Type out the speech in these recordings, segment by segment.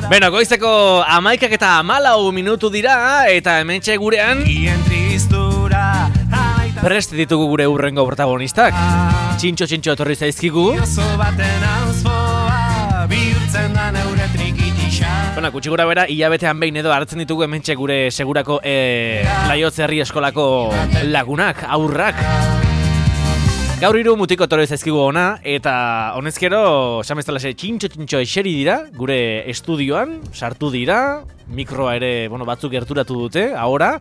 Beno, goizeko 11:14 minutu dira, eta hementxe gurean prest ditugu gure urrengo protagonistak. Txintxo etorri zaizkigu. Bona, gutxi gura bera, hilabetean behin edo hartzen ditugu hementxe gure segurako Laiotze herri eskolako lagunak, aurrak. Gaur hiru mutiko etorri zaizkigu ona, eta honezkero, sameztalase, txintxo eseri dira, gure estudioan, sartu dira, mikroa ere, batzuk gerturatu dute, ahora,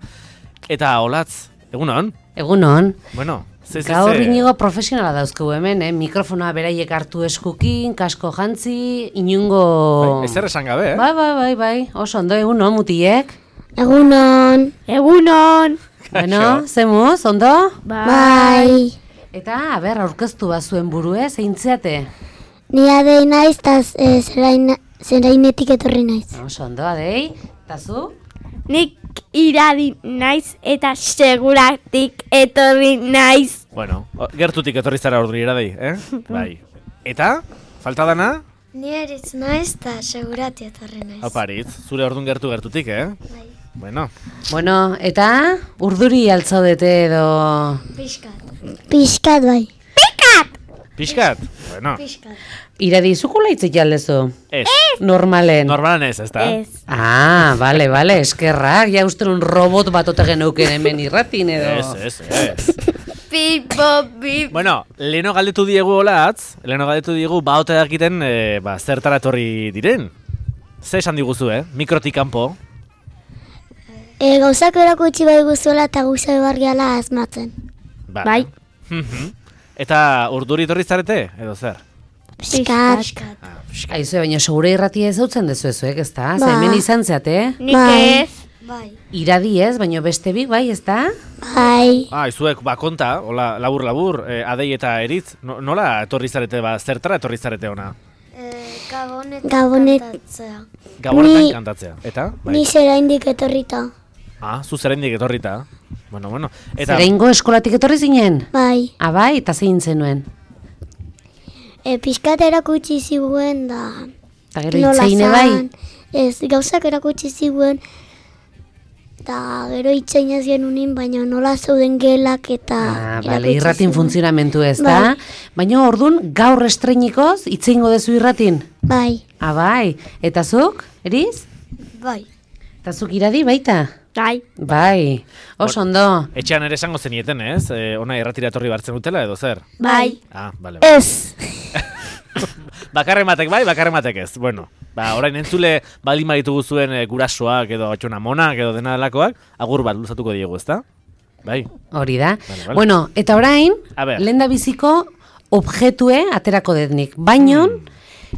eta Olatz, egunon? Egunon. Bueno, gaur inigo profesionala dauzkegu hemen, mikrofonoa beraiek hartu eskukin, kasko jantzi, inungo... Ez esan gabe, Bai, oso ondo, egunon, mutiek? Egunon. Bueno, zemuz, ondo? Bai. Eta, aurkeztu bazuen burue, zeintzeate? Ni Adei naiz, eta zerainetik etorri naiz. Oso ondo, Adei, eta zu? Nik Iradi naiz eta seguratik etorri naiz. Bueno, gertutik etorri zara orduri Iradei, Bai. Eta, falta dana? Ni Aritz naiz eta segurati etorri naiz. Opa, Aritz, zure ordun gertutik, Bai. Bueno, eta urduri altzaudete edo... Piskat bai. Piskat? Bueno. Iradi, zukula hitzik jaldezu? Ez. Normalen ez, ezta? Ez. Bale, eskerrak, ja uste un robot bat ote geneuken hemen irratin edo... Ez. Pip. Bueno, leheno galdetu diegu Olatz, baote dakiten zertara etorri diren. Ze esan diguzu, mikrotik kanpo? Gauzak erakutsi bai guzuela eta guzai barriala asmatzen. Bai. Eta urduri etorri zarete, edo zer? Piskat. Aizu, baina segure irratia ez hautzen dezuezuek, ez da? Ba. Hemen izan zeate? Nik ez. Bai. Iradi ez, baina beste bik, bai, ez da? Bai. Izuek, konta, hola, labur, Adei eta Eritz, nola etorri zarete, zertara etorri zarete ona? Gabonet Gabonetan kantatzea, eta? Bai. Ni zeraindik etorrita. Zu zeraindik etorrita. Bueno. Eta... Zeraingo eskolatik etorri zinen? Bai. Bai, eta zein zenuen? Piskat erakutsi ziguen da... Eta gero itzeine bai? Ez, gauzak erakutsi ziguen... Eta gero itzein ez genunin, baina nola zeuden gelak eta... Bale, irratin funtzionamentu ez da? Baina orduan, gaur estreinikoz, itzeingo dezu irratin? Bai. Bai, eta zuk, Eriz? Bai. Eta zuk Iradi baita? Bai, oso ondo. Etxean ere esango zenieten, ez? Ona irratira etorri bartzen dutela, edo zer? Bai. Bale. Ez. Bakarrematek bai, bakarrematek ez. Bueno, orain entzule baldin baditugu zuen gurasoak edo atxona monak edo dena delakoak, agur bat luzatuko diegu, ezta? Bai. Hori da. Vale. Bueno, eta orain, lenda biziko objetue aterako detnik. Bainon,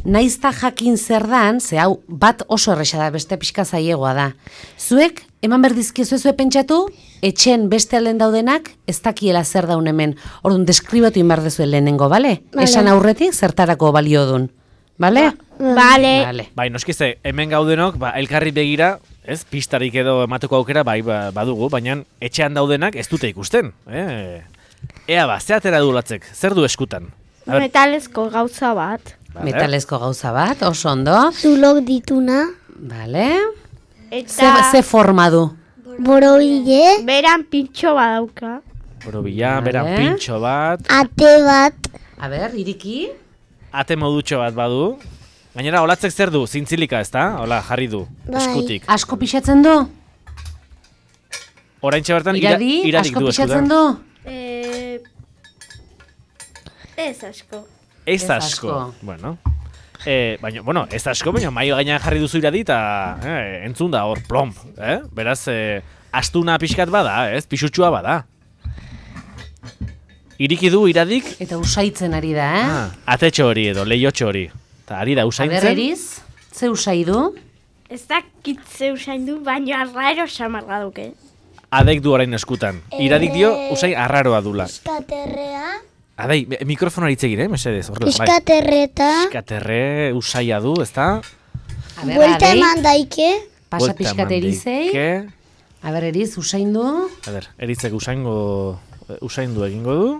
naizta jakin zer dan, ze hau bat oso erresa da, beste pixka zailegoa da. Zuek, eman berdizkiezu pentsatu, etxen beste alden daudenak, ez dakiela zer daun hemen. Orduan, deskribatu inbar dezuen lehenengo, bale? Esan aurretik, zertarako balio dun. Bale? Bale. Bai, noskize, hemen gaudenok, elkarri begira, ez, pistarik edo emateko aukera, bai, badugu, baina etxean daudenak ez dute ikusten. Ea ze atera dulatzek, zer du eskutan? Metalezko gauza bat. Metalezko gauza bat, oso ondo. Zulok dituna. Bale. Eta... Ze forma du? Borobile. Beran pintxo badauka. Borobila, beran pintxo bat. Ate bat. Iriki. Ate modutxo bat badu. Gainera, Olatzek zer du? Zintzilika, ez da? Hola, jarri du, eskutik. Asko pixatzen du? Oraintxe bertan iradik du eskutan. Asko pixatzen du? Ez asko. Ez asko. Bueno. Baina, ez asko, baina maio gainean jarri duzu Iradi eta entzun da hor, plomp. Beraz, astuna pixkat bada, ez? Pixutxua bada. Iriki du Iradik. Eta usaitzen ari da, Atetxo hori edo, lehiotxo hori. Eta ari da usaintzen. Aber Eriz, ze usai du? Ez dakit ze usain du, baina arraro samarra duke. Adek du orain eskutan. Iradik dio usain arraroa dula. Piskaterrea. Adei, mikrofonari itzegire, mesedez. Piskaterreta. Piskaterre usaia du, ez da? Buelta eman daike. Pasa pixkat Erizei. Aber Eriz, usain du? Erizek usaindu egingo du.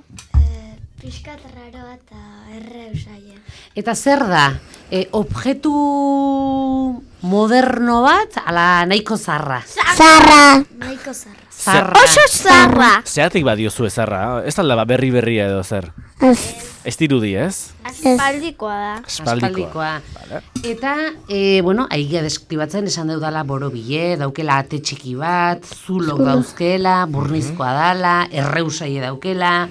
Piskaterraroa eta erre usaia. Eta zer da? Objektu moderno bat, ala nahiko zarra. Zarra. Nahiko zarra. Zarra. Oso zarra. Zeatik badiozu ezarra, ez alda berria edo zer. Ez dirudi, ez? Aspaldikoa da. Aspaldikoa. Vale. Eta, bueno, aigia deskribatzen esan deudala borobile, daukela ate txiki bat, zulok dauzkela, burnizkoa dala, erreusaie daukela,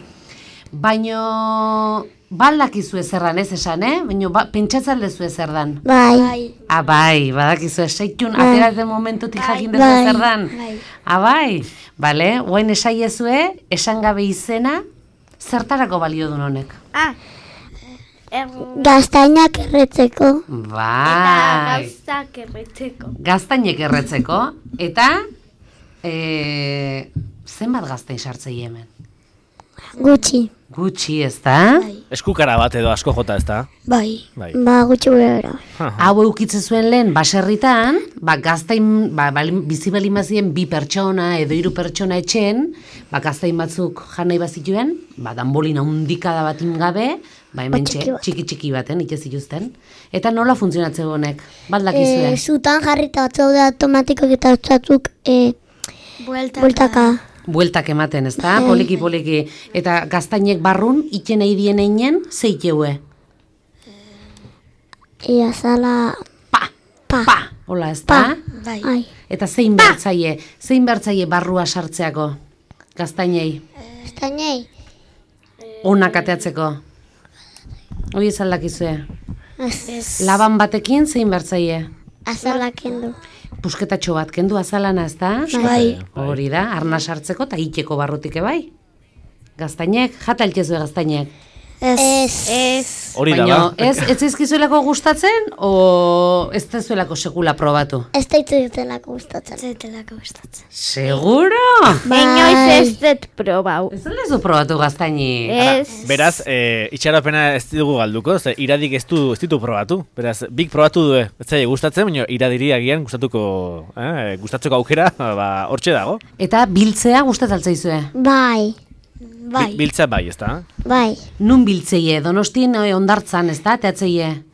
baino baldakizu ezerran ez esan, baino pentsatzen lezu ezerdan. Bai. Bai, badakizu esaitun, ateratzen momentutik jakin dezu ezerdan. Bai, bale, guain esaiezue, esan gabe izena, zertarako balio duen honek? Gaztainak erretzeko. Bai. Eta gauzak erretzeko. Gaztainek erretzeko. Eta, zenbat gaztain sartzei hemen? Gutxi. Gutxi, ez da? Eskukara bat edo asko jota, ez da? Bai. Bai. Ba, gutxi gure. Hau eukitze zuen lehen baserritan, gaztain, bizi balimazien 2 pertsona edo 3 pertsona etxen, gaztain batzuk jan nahi bazituen, danbolina hundikada bat ingabe, hemen txiki baten, itez zituzten. Eta nola funtzionatzen honek? Baldakizue? Zutan jarrita batzuk da automatikok eta batzuk bueltaka. Bueltak ematen, ez da? Poliki. Eta gaztainek barrun, iten nahi dien einen, zeiteue? Azala... Pa! Hola, ez da? Bai. Eta zein bertzaie barrua sartzeako? Gaztainei? Gaztainei? Onak ateatzeko? Hoi ez aldakizue? Ez. Laban batekin zein bertzaie? Azala kendu. Pusketatxo bat kendu azalana, ez da? Bai. Hori da, arna sartzeko eta iteko barrutik bai. Gaztainek, jata elkezue gaztainek. Ez. Hori da, Baina, ba? ez zaizkizuelako gustatzen, o ez da zuelako sekula probatu? Ez da itzutelako gustatzen. Seguro? Inoiz ez dut probau. Ez da lezu probatu gaztaini? Ez. Beraz, itxaropena ez dugu galduko, ze iradik ez ditu probatu. Beraz, bik probatu du, ez zaila gustatzen, baina iradiri agian gustatzeko aukera, hortxe dago. Eta biltzea gustatzaltzaizue? Bai. Biltza bai, ez da? Bai. Nun biltzeie? Donostin ondartzan, ez da? Teatzeie?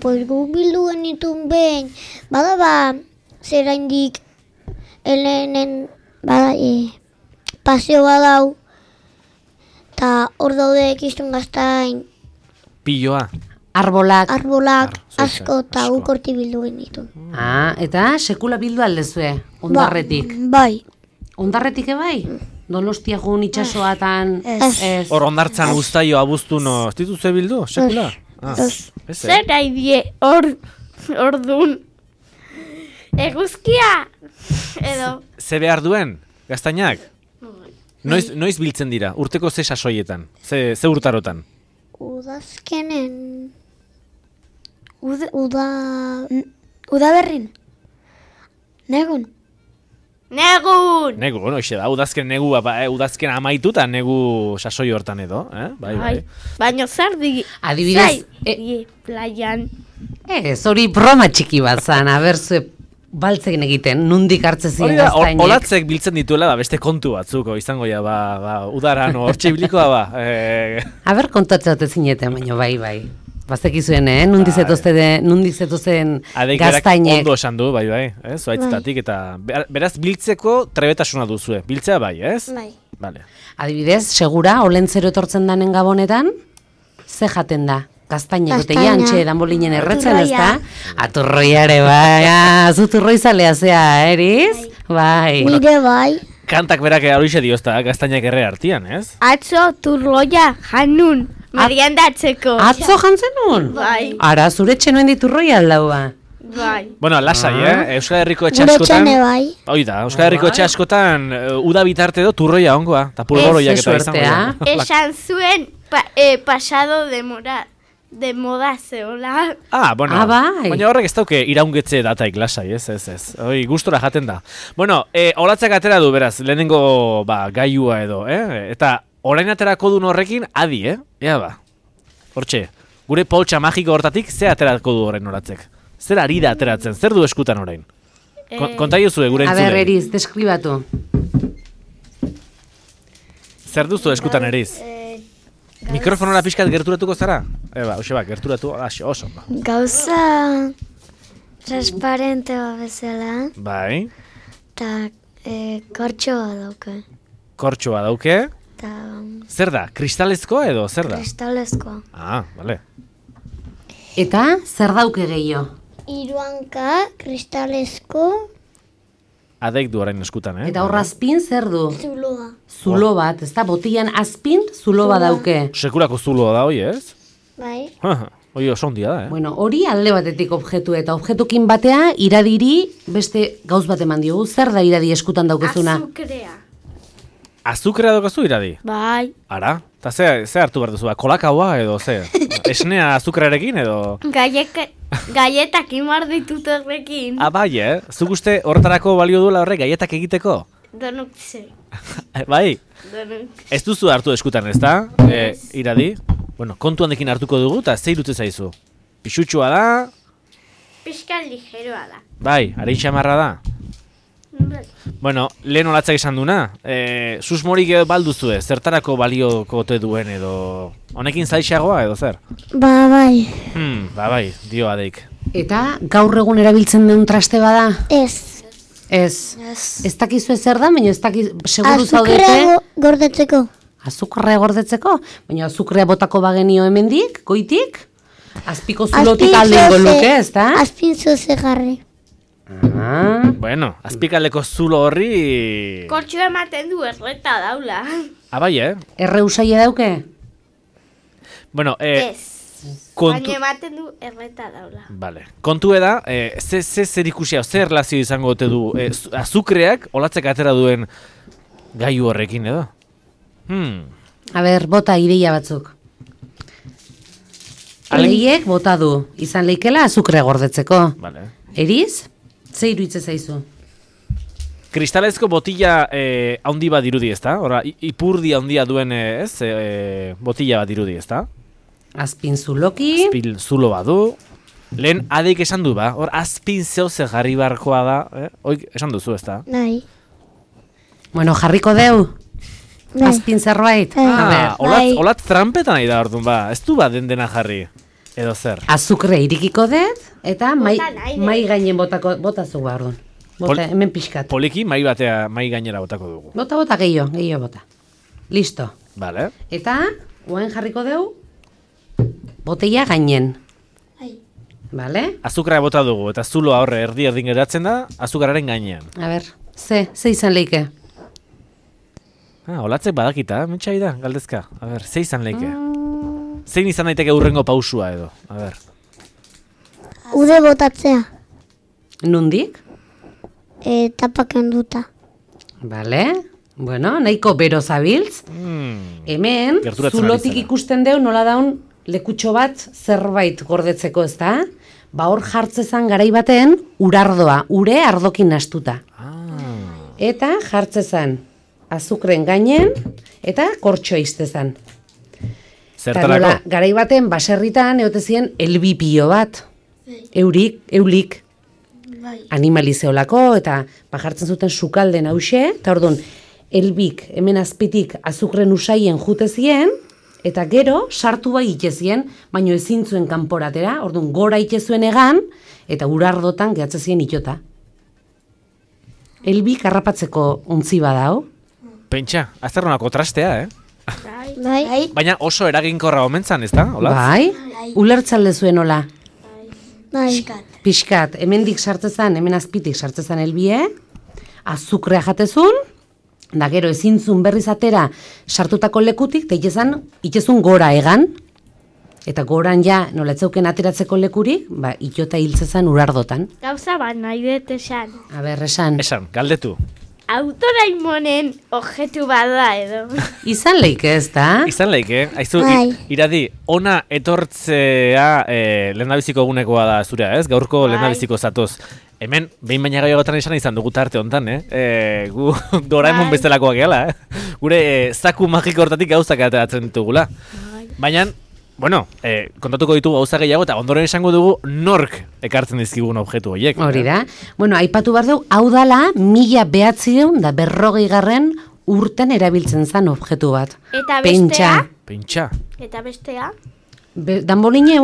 Pues gu bildu genitun behin. Bada zera indik elenen paseo badau. Ta hor daude ekiztun gaztain. Piloa. Arbolak. Asko eta ukorti bildu genitun. Eta sekula bildu aldezue? Ondarretik? Bai. Ondarretik bai? Donostia joan itxasoatan? Ez. Hor ondartzan guztaio abuztu no, ez dituzue bildu, sekula? Zer nahi die orduan eguzkia edo Ze behar duen, gaztainak? Noiz biltzen dira, urteko ze sasoietan, ze urtarotan? Udazkenen... Udaberrin. Negun. Negu, hoxe da, udazken amaitu eta negu sasoi hortan edo, bai. Baina zer adibidez, playan. Ez, hori broma txiki bat zan, zue baltzen egiten, nundik hartze ziren gaztainek. Olatzek biltzen dituela, beste kontu batzuko, izango ja, udaran, hortxe biblikoa, kontatzea ote zineten, baina bai. Bazekizuen, nundik zetozten gaztainek. Ondo esan du, bai, zuaitzetatik, eta beraz biltzeko trebetasuna duzue. Biltzea bai, ez? Bai. Vale. Adibidez, segura, olentzero etortzen danen gabonetan, ze jaten da? Gaztainek, eta jantxe danbolinen erretzen, ez da? Aturroiare, bai, zu turroizalea zea, eriz? Bai. Nire bai. Kantak berak horixe diozta, gaztainak erre artian, ez? Atzo turroia janun. Meriendatzeko. Atzo jantzen nun? Bai. Ara, zure txenoen diturroi aldaua. Bai. Bueno, lasai, Euskal Herriko etxe Gure askotan... txene bai. Oida, Euskal Herriko etxe askotan uda bitarte edo turroia ongoa, eta pulboroiak eta izango da. Esan zuen pasado de moda zeola. Bueno, bai. Baina horrek ez dauke iraungetze dataik lasai, ez. Hoi, gustora jaten da. Bueno, olatzak atera du, beraz, lehenengo gaiua edo, eta orain aterako duen horrekin, adi, Ea ba, hortxe, gure poltsa magiko hortatik, ze aterako du orain oratzek? Zer ari da ateratzen, zer du eskutan orain? Kontaio zue gure entzulen. Aber, Eriz, deskribatu. Zer duzu eskutan, Eriz? Mikrofonora pixkat gerturatuko zara? Hoxe gerturatu, oso. Gauza transparente bezala, Bai, eta kortxoa dauka. kortxoa dauke. Eta Zer da, kristalezkoa edo zer da? kristalezkoa. Bale. Eta zer dauke gehiago? Hiruanka, kristalezko, Adeik du orain eskutan, Eta horra azpin zer du? zuloa. Zulo bat, ez da, botian azpin zulo bat dauke. Sekulako zuloa da, hoi, ez? Bai. Hoi oso ondia da, Bueno, hori alde batetik objektu eta objektukin batea iradiri beste gauz bat eman diogu. Zer da iradi eskutan daukezuna? Azukrea. Azukrea daukazu iradi? Bai. Ara? Eta ze hartu behar duzu, kolakaua edo ze? Esnea azukrearekin edo? Gaietak imar ditut horrekin. Bai, Zuk uste horretarako balio duela horrek gaietak egiteko? Donuk ze. Bai? Donuk. Ez duzu hartu eskutan, ez da? Iradi? Bueno, kontu handekin hartuko dugu eta ze irutze zaizu? Pixutxua da? Pixka ligeroa da. Bai, arein xamarra da? Bai. Bueno, lehen olatzak esan duna, susmorik balduzu ez, zertarako balioko ote duen edo... Honekin zaixagoa edo zer? Ba, bai. Bai, dio adeik. Eta gaur egun erabiltzen den traste bada? Ez. Ez. Ez dakizu zer da, baina ez dakizu, seguru zaudete... Azukrea gordetzeko. Azukrea gordetzeko? Baina azukrea botako bagenio hemendik, goitik? Azpiko zulotik aldengo luke, ez da? Azpin zoze jarri. Bueno, azpikaleko zulo horri... Kortxo ematen du erreta daula. Bai, Erre usaila dauke? Bueno, Ez. kontu... Baina ematen du erreta daula. Vale. Kontu eda, zer ikusia, zer relazio izango ote du azukreak olatzek atera duen gaiu horrekin edo? A ber, bota ideia batzuk. Aleiek bota du, izan leikela azukrea gordetzeko. Vale. Eriz? Ze iruitze zaizu? Kristalezko botila handi bat dirudi, ezta? Ora, ipurdi handia duen botila bat dirudi, ezta? Azpin zuloki. Azpin zulo bat du. Lehen adeik esan du ba, hor azpin zehose jarri barkoa da, Oik esan duzu, ezta? Nahi. Bueno, jarriko deu? Bai. Azpin zerbait? A ber, Olat trampetan nahi da orduan ba, ez du ba dena jarri, edo zer? azukre irikiko dut, eta mai nahi dut. gainen botazu ba orduan. Bota, hemen pixkat. Poliki mai gainera botako dugu. Bota, gehiago bota. Listo. Vale. Eta, guain jarriko deu, botella gainen. Bai. Vale? Azukra bota dugu, eta zuloa horre erdin geratzen da, azukararen gainean. A ber, ze izan leike? Olatzek badakita, mentxai da, galdezka. A ber, ze izan leike? Zein izan daiteke hurrengo pausua edo? A ber. Ude botatzea. Nundik? Tapaken duta. Vale? Bueno, nahiko bero zabiltz. Hemen, Gerturatzen zulotik ari zara. ikusten deu nola daun lekutxo bat zerbait gordetzeko, ez da? Ba hor jartzezan garai baten urardoa, ure ardokin nastuta. Eta jartzezan azukren gainen eta kortxo iztezan. Zertarako? Garai baten baserritan eotezien elbipio bat. Eulik. Bai. Animalizeolako eta jartzen zuten sukalden hause, eta orduan, elbik hemen azpitik azukren usaien jutezien, eta gero sartu bai itezien, baino ezin zuen kanporatera, orduan gora itezuen egan, eta urardotan gehatzezien itota. Elbik harrapatzeko untzi badao. Pentsa, azterronako trastea, Bai. Baina oso eraginkorra omentzan, ez da? Hola? Bai, ulertzalde zuen hola. Bai. Pixkat, hemendik sartzezan, hemen azpitik sartzezan elbie, azukrea jatezun, da gero ezintzun berriz atera sartutako lekutik, eta itezun gora egan, eta goran ja nola etzeuken ateratzeko lekurik, ba, itota hiltzezan urardotan. Gauza bat nahi dut esan. A ber, esan. Esan, galdetu. Autoraimonen objetu bada edo. Izan leike ez da? Izan leike, aizu, Bai. iradi, ona etortzea lehendabiziko egunekoa da zurea, ez? Gaurko Bai. lehendabiziko zatoz. Hemen, behin baina gaiogotan esan izan dugu tarte hontan, gu Doraemon Bai. bestelakoak gehala, Gure zaku magiko hortatik gauzak ateratzen ditugula. Baina, bueno, kontatuko ditugu gauza gehiago eta ondoren esango dugu nork ekartzen dizkigun objektu horiek. Hori da. Bueno, aipatu behar dugu, hau dala 1940 urten erabiltzen zen objektu bat. Eta Pentsa. bestea? Pentsa. Eta bestea? Danbolina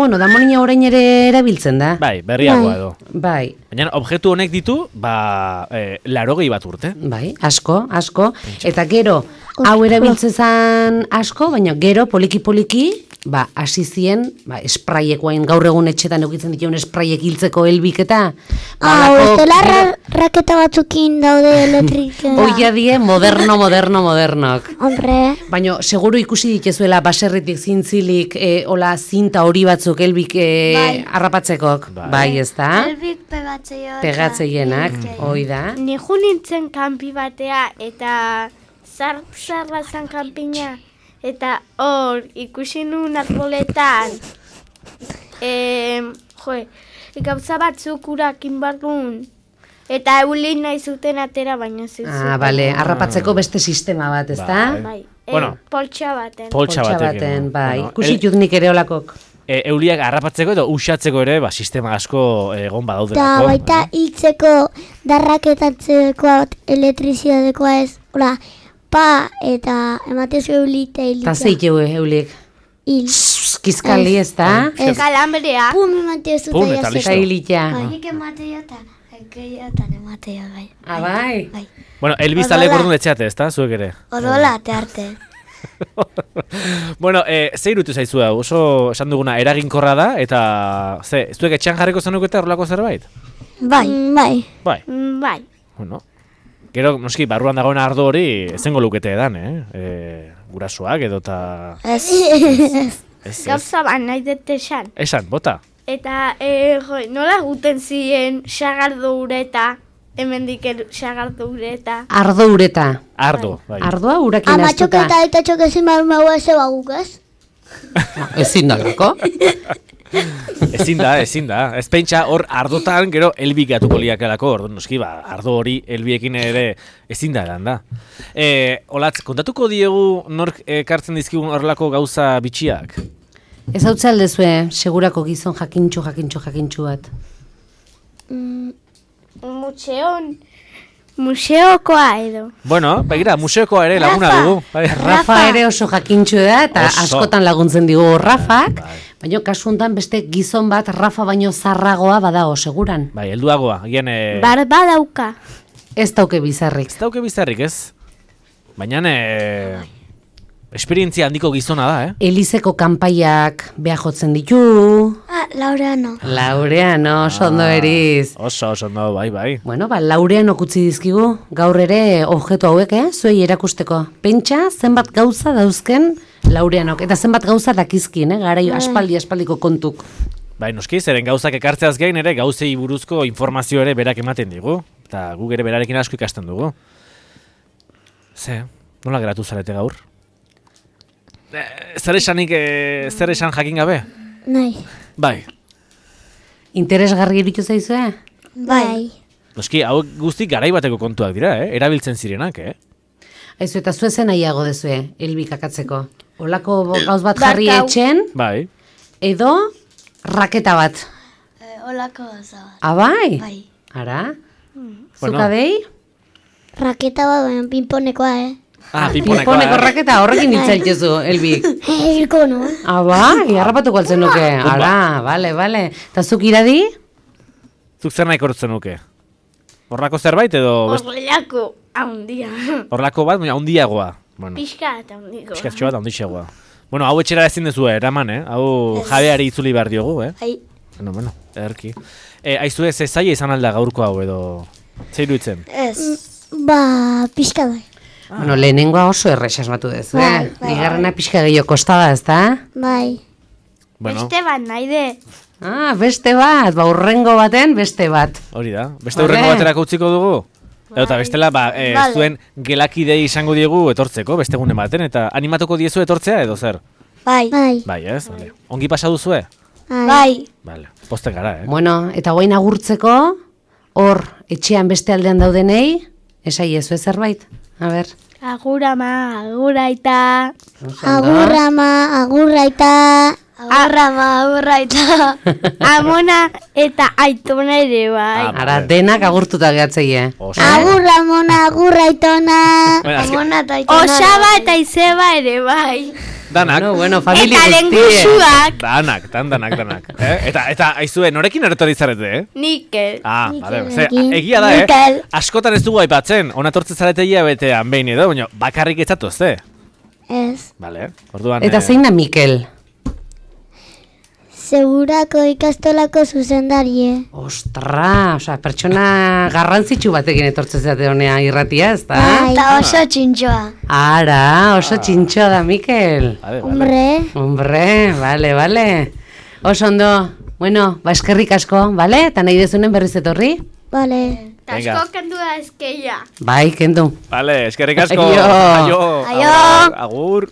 orain ere erabiltzen da. Bai, berriagoa edo. Bai. Baina objektu honek ditu, 80 bat urte. Bai, asko. Eta gero, hau erabiltzezan asko, baina gero, poliki-poliki, hasi zien, espraiekoain gaur egun etxetan eukitzen dituen espraiek hiltzeko helbik eta... Estela raketa batzukin daude elektrikean. Oia die, modernok. Hombre. Baina, seguru ikusi ditezuela baserritik zintzilik, hola zinta hori batzuk helbik harrapatzekok. Bai, ez da? Helbik pegatzeienak, hoi da. Nijo nintzen kanpi batea eta zarra zan kanpina. Eta hor, ikusi nuen arboletan, gauza batzuk urakin barrun. Eta eulin nahi zuten atera, baina zuzuten. Bale, harrapatzeko beste sistema bat, ez da? Bai, poltsa baten, bai. Ikusi jutnik ere olakok. Euliak harrapatzeko edo usatzeko ere, sistema asko egon badaudelako. Eta baita hiltzeko, darraketatzeko elektrizitatekoa ez, hola, eta ematezu eulita hilita. Ta zeiteu eulik? Hil. Kizkali ez da? Kalambrea. Pum ematezu eta listo. Hilita. Nik ematea eta ekeiotan ematea bai. Bai. Bueno, elbizalek orduan etxeate ez da, zuek ere? Orola, arte. Bueno, ze irutu zaizu da, oso esan duguna eraginkorra da, eta zuek etxean jarriko zenuketa horrelako zerbait? Bai. Bueno, gero, noski, barruan dagoen ardo hori ezengo lukete edan, gurasoak edo eta... Ez. Gauza ban nahi dut esan. Esan, bota. Eta, nola guten ziren sagardo ureta, hemendik sagardo ureta. Ardo ureta. Ardo, bai. Ardoa urakin astuta. Amatxok eta txokezin maua ez baguk ez? Ezin da, lako? Ezin da. Ez pentsa hor ardotan gero elbik gatuko liakelako, ordu noski, ardo hori elbiekin ere ezin da edan da. Olatz, kontatuko diegu nork kartzen dizkigun horrelako gauza bitxiak? Ez hau txaldezue, segurako gizon jakintxu bat. Museokoa edo. Bueno, begira, museokoa ere laguna dugu. Rafa ere oso jakintxu da, eta askotan laguntzen digu Rafak, baina kasu honetan beste gizon bat Rafa baino zarragoa badago, seguran. Bai, helduagoa, gian... Barba dauka. Ez dauke bizarrik. Ez. Baina... Esperientzia handiko gizona da, Elizeko kanpaiak beha jotzen ditu. Laureano, ondo eriz. Oso ondo, bai. Bueno, Laureano kutzi dizkigu, gaur ere objektu hauek, zuei erakusteko. Pentsa, zenbat gauza dauzken Laureanok, eta zenbat gauza dakizkin, garai aspaldiko kontuk. Bai, noski, zeren gauzak ekartzeaz gain ere gauzei buruzko informazio ere berak ematen digu, eta guk ere berarekin asko ikasten dugu. Nola geratu zarete gaur? Zer esan jakin gabe? Nahi. Bai. Interesgarri iruditu zaizue? Bai. Noski, hau guztik garai bateko kontuak dira, erabiltzen zirenak, Aizu, eta zuezen nahiago dezue, helbik akatzeko. Olako gauz bat jarri etxen, bai. Edo raketa bat. Olako gauza bat. Bai? Bai. Ara? Zukadei? Raketa bat, baina pinponekoa, Pinponeko raketa horrekin ditzaitezu, helbik. Hilko, no? Bai, harrapatuko altzen nuke. Ara, bale. Eta zuk iradi? Zuk zer nahi kortzen nuke? Horrako zerbait edo... Horrelako haundia. Horrelako bat, baina haundiagoa. Pixka eta haundiko. Pixkatxo bat haundixeagoa. Bueno, hau etxera ezin dezu, eraman, Hau jabeari itzuli behar diogu, Bueno, erki. Aizue, ze zaila izan alda gaurko hau edo... Zeiru itzen? Ez. Pixka bai. Bueno, lehenengoa oso errexasmatu dezu, Bigarrena pixka gehiago kostada, ez da? Bai. Beste bat nahi de. Beste bat, urrengo baten beste bat. Hori da, beste urrengo baterako utziko dugu? Eta bestela, zuen gelakidei izango diegu etortzeko, beste gune baten, eta animatuko diezu etortzea edo zer? Bai. Bai, ez? Ongi pasa duzue? Bai. Vale, posten gara, Bueno, eta guain agurtzeko, hor, etxean beste aldean daudenei, esai ezu zerbait? A ber. Agur ama, agur aita. Agur ama, agur aita. Agur ama, agur aita. Amona eta aitona ere bai. Ara, denak agurtuta gehatzeie. Agur amona, agur aitona. Amona eta aitona. Osaba eta izeba ere bai. Danak. Bueno, familia Eta lengusuak. Danak. Eta, aizue, norekin eretori zarete, Nikel. Vale. Egia da, askotan ez dugu aipatzen, onatortze zarete hilabetean behin edo, baina bakarrik etzatu, Ez. Vale, orduan... Eta zein da Mikel? Segurako ikastolako zuzendarie. Ostra, pertsona garrantzitsu batekin etortzen zate honea irratia, ez da? Eta oso txintxoa. Ara, oso txintxoa da Mikel. Hombre, vale. Oso ondo, bueno, eskerrik asko, vale? Eta nahi dezunen berriz etorri? Vale. Asko kendu da eskeia. Bai, kendu. Vale, eskerrik asko. Aio. Agur.